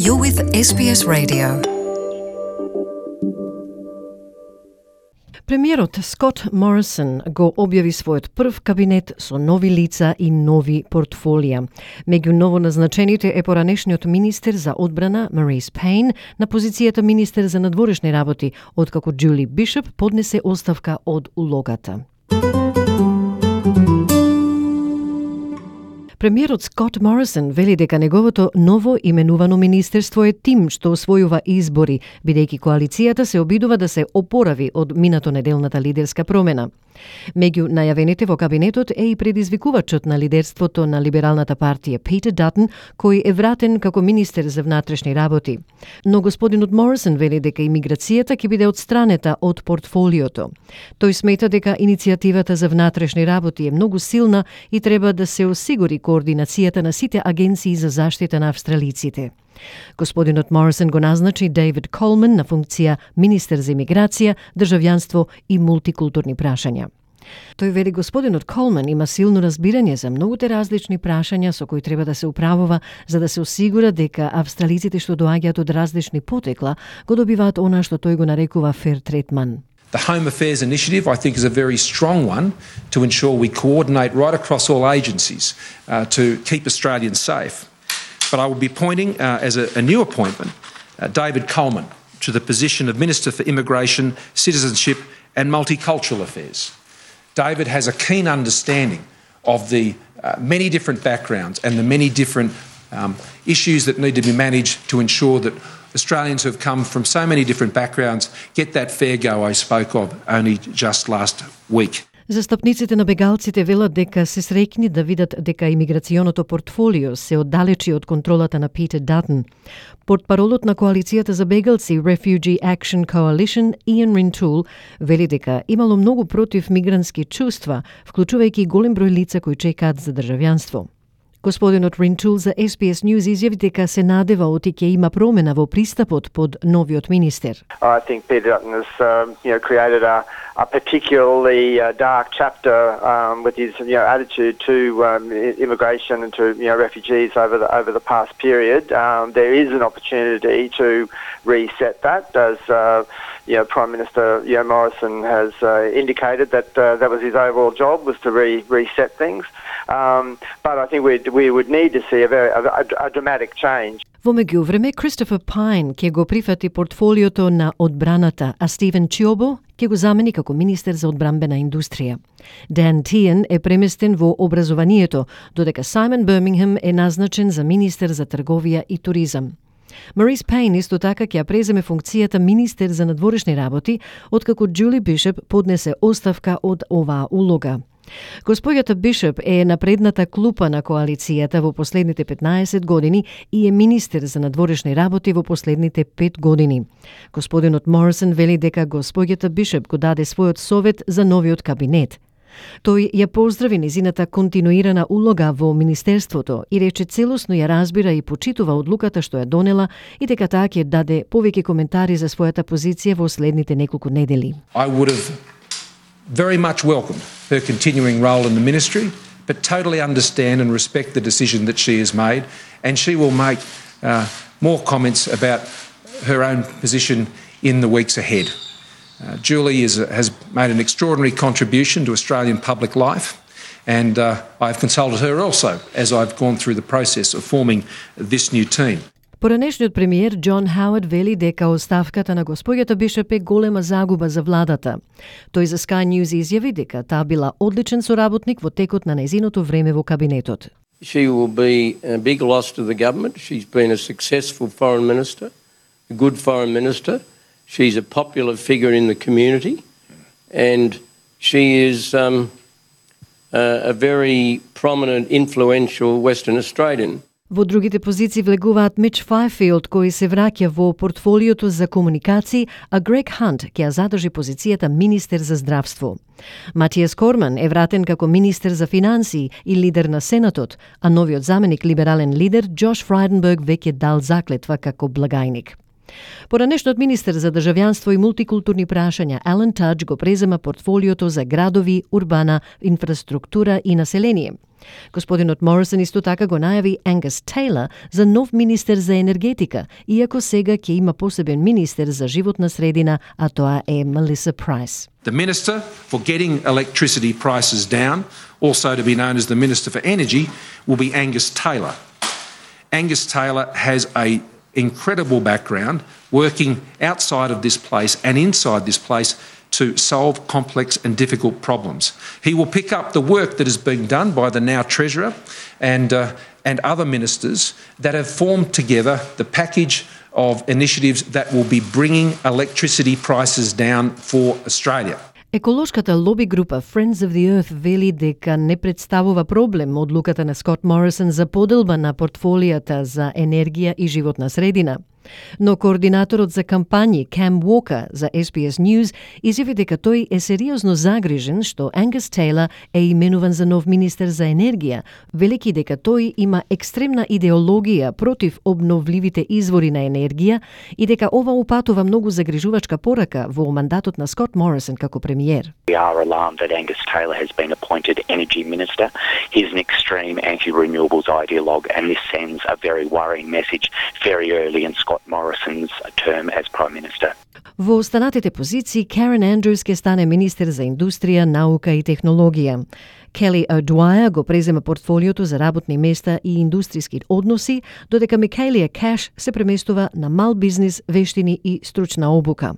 You're with SBS Radio. Премиерот Скот Морисон го објави својот прв кабинет со нови лица и нови портфолија. Меѓу новоназначените е поранешниот министер за одбрана Марис Пейн на позицијата министер за надворешни работи, откако Джули Бишоп поднесе оставка од улогата. Премиерот Скот Морисон вели дека неговото ново именувано министерство е тим што освојува избори, бидејќи коалицијата се обидува да се опорави од минато неделната лидерска промена. Меѓу најавените во кабинетот е и предизвикувачот на лидерството на либералната партија Питер Датон, кој е вратен како министер за внатрешни работи. Но господинот Морисон вели дека имиграцијата ќе биде отстранета од портфолиото. Тој смета дека иницијативата за внатрешни работи е многу силна и треба да се осигури координацијата на сите агенции за заштита на австралиците. Господинот Морисон го назначи Дейвид Колман на функција министер за имиграција, државјанство и мултикултурни прашања. Тој вели господинот Колман има силно разбирање за многуте различни прашања со кои треба да се управува за да се осигура дека австралиците што доаѓаат од различни потекла го добиваат она што тој го нарекува fair третман. The Home Affairs Initiative, I think, is a very strong one to ensure we coordinate right across all agencies to keep Australians safe. But I will be appointing, as a new appointment, David Coleman to the position of Minister for Immigration, Citizenship and Multicultural Affairs. David has a keen understanding of the many different backgrounds and the many different issues that need to be managed to ensure that Australians who have come from so many different backgrounds get that fair go I spoke of only just last week. Застапниците на бегалците велат дека се среќни да видат дека имиграционото портфолио се оддалечи од контролата на Питер Датон. Портпаролот на коалицијата за бегалци Refugee Action Coalition Ian Rintoul вели дека имало многу против мигрантски чувства, вклучувајќи голем број лица кои чекаат за државјанство. Господинот Rintoul за SBS News изјави дека се надева оти ќе има промена во пристапот под новиот министер. I think Peter Dutton has created a particularly dark chapter with his attitude to immigration and to refugees over the past period. There is an opportunity to reset that, as Prime Minister Morrison has indicated that was his overall job, was to reset things. But I think we would need to see a dramatic change. Во меѓувреме, Кристофер Пайн ќе го прифати портфолиото на одбраната, а Стивен Чиобо ќе го замени како министер за одбранбена индустрија. Дан Тиен е преместен во образованието, додека Саймон Бирмингем е назначен за министер за трговија и туризам. Марис Пейн исто така ќе преземе функцијата министер за надворешни работи, откако Джули Бишоп поднесе оставка од оваа улога. Госпоѓата Бишоп е на предната клупа на коалицијата во последните 15 години и е министер за надворешни работи во последните 5 години. Господинот Морисон вели дека госпоѓата Бишоп го даде својот совет за новиот кабинет. Тој ја поздрави незината континуирана улога во министерството и рече целосно ја разбира и почитува одлуката што ја донела и дека таа ќе даде повеќе коментари за својата позиција во следните неколку недели. I would have very much welcomed her continuing role in the ministry, but totally understand and respect the decision that she has made, and she will make more comments about her own position in the weeks ahead. Julie has made an extraordinary contribution to Australian public life, and I've consulted her also as I've gone through the process of forming this new team. Поранешниот премиер Џон Хауард вели дека оставката на госпоѓата Бишоп е голема загуба за владата. Тој за Sky News изјави дека таа била одличен соработник во текот на нејзиното време во кабинетот. She will be a big loss to the government. She's been a successful foreign minister, a good foreign minister. She's a popular figure in the community, and she is a very prominent, influential Western Australian. Во другите позиции влегуваат Мич Фајфилд, кој се враќа во портфолиото за комуникации, а Грег Хант ќе ја задржи позицијата министер за здравство. Матијас Корман е вратен како министер за финансии и лидер на Сенатот, а новиот заменик либерален лидер Џош Фрајденберг веќе дал заклетва како благајник. Поранешниот министер за државјанство и мултикултурни прашања Алан Tudge го презема портфолиото за градови, урбана, инфраструктура и население. Господинот Морисон исто така го најави Ангус Тейлор за нов министер за енергетика, иако сега ќе има посебен министер за животна средина, а тоа е Melissa Price. The Minister for getting electricity prices down, also to be known as the Minister for Energy, will be Angus Taylor. Angus Taylor has an incredible background working outside of this place and inside this place to solve complex and difficult problems. He will pick up the work that is being done by the now Treasurer and other ministers that have formed together the package of initiatives that will be bringing electricity prices down for Australia. Еколошката лоби група Friends of the Earth вели дека не представува проблем одлуката на Скот Морисон за поделба на портфолијата за енергија и животна средина. Но координаторот за кампањи Cam Walker за SBS News изјави дека тој е сериозно загрижен што Ангус Тейлор е именуван за нов министер за енергија, велики дека тој има екстремна идеологија против обновливите извори на енергија и дека ова упатува многу загрижувачка порака во мандатот на Скот Морисон како премиер. We are alarmed that Angus Taylor has been appointed Energy Minister. He's an extreme anti-renewables ideologue, and this sends a very worrying message very early in Scott Morrison's term as Prime Minister. Во останатите позиции, Карен Андрюс ќе стане министер за индустрија, наука и технологија. Келли O'Dwyer го презема портфолиото за работни места и индустријски односи, додека Микаелија Каш се преместува на мал бизнис, вештини и стручна обука.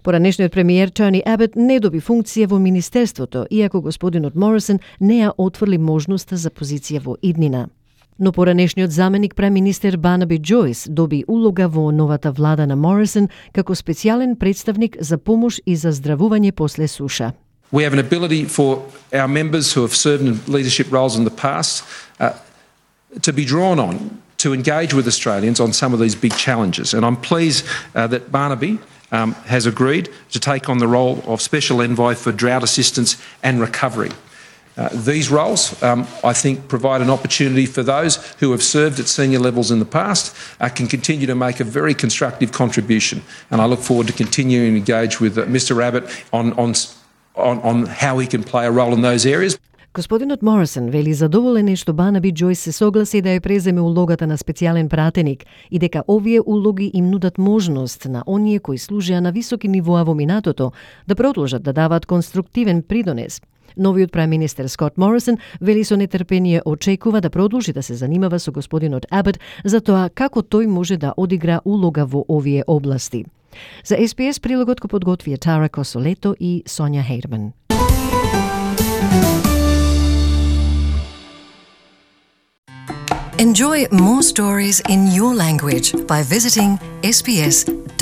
Поранешниот премиер Тони Абот не доби функција во министерството, иако господинот Морисон не ја отфрли можноста за позиција во иднина. Но поранешниот заменик премиер Барнаби Джойс доби улога во новата влада на Морисон како специјален представник за помош и за здравување после суша. We have an ability for our members who have served in leadership roles in the past to be drawn on to engage with Australians on some of these big challenges. And I'm pleased that Barnaby has agreed to take on the role of Special Envoy for Drought Assistance and Recovery. These roles, I think, provide an opportunity for those who have served at senior levels in the past can continue to make a very constructive contribution. And I look forward to continuing to engage with Mr. Abbott on how he can play a role in those areas. Господинот Морисон вели задоволен е што Барнаби Джойс се согласи да ја преземе улогата на специјален пратеник и дека овие улоги им нудат можност на оние кои служеа на високи нивоа во минатото да продолжат да даваат конструктивен придонес. Новиот премиер Скот Морисон вели со нетрпение очекува да продолжи да се занимава со господинот Абот за тоа како тој може да одигра улога во овие области. За SBS прилогот го подготвија Тара Косолето и Сонја Хейрман. Enjoy more stories in your language by visiting sbs.com.au.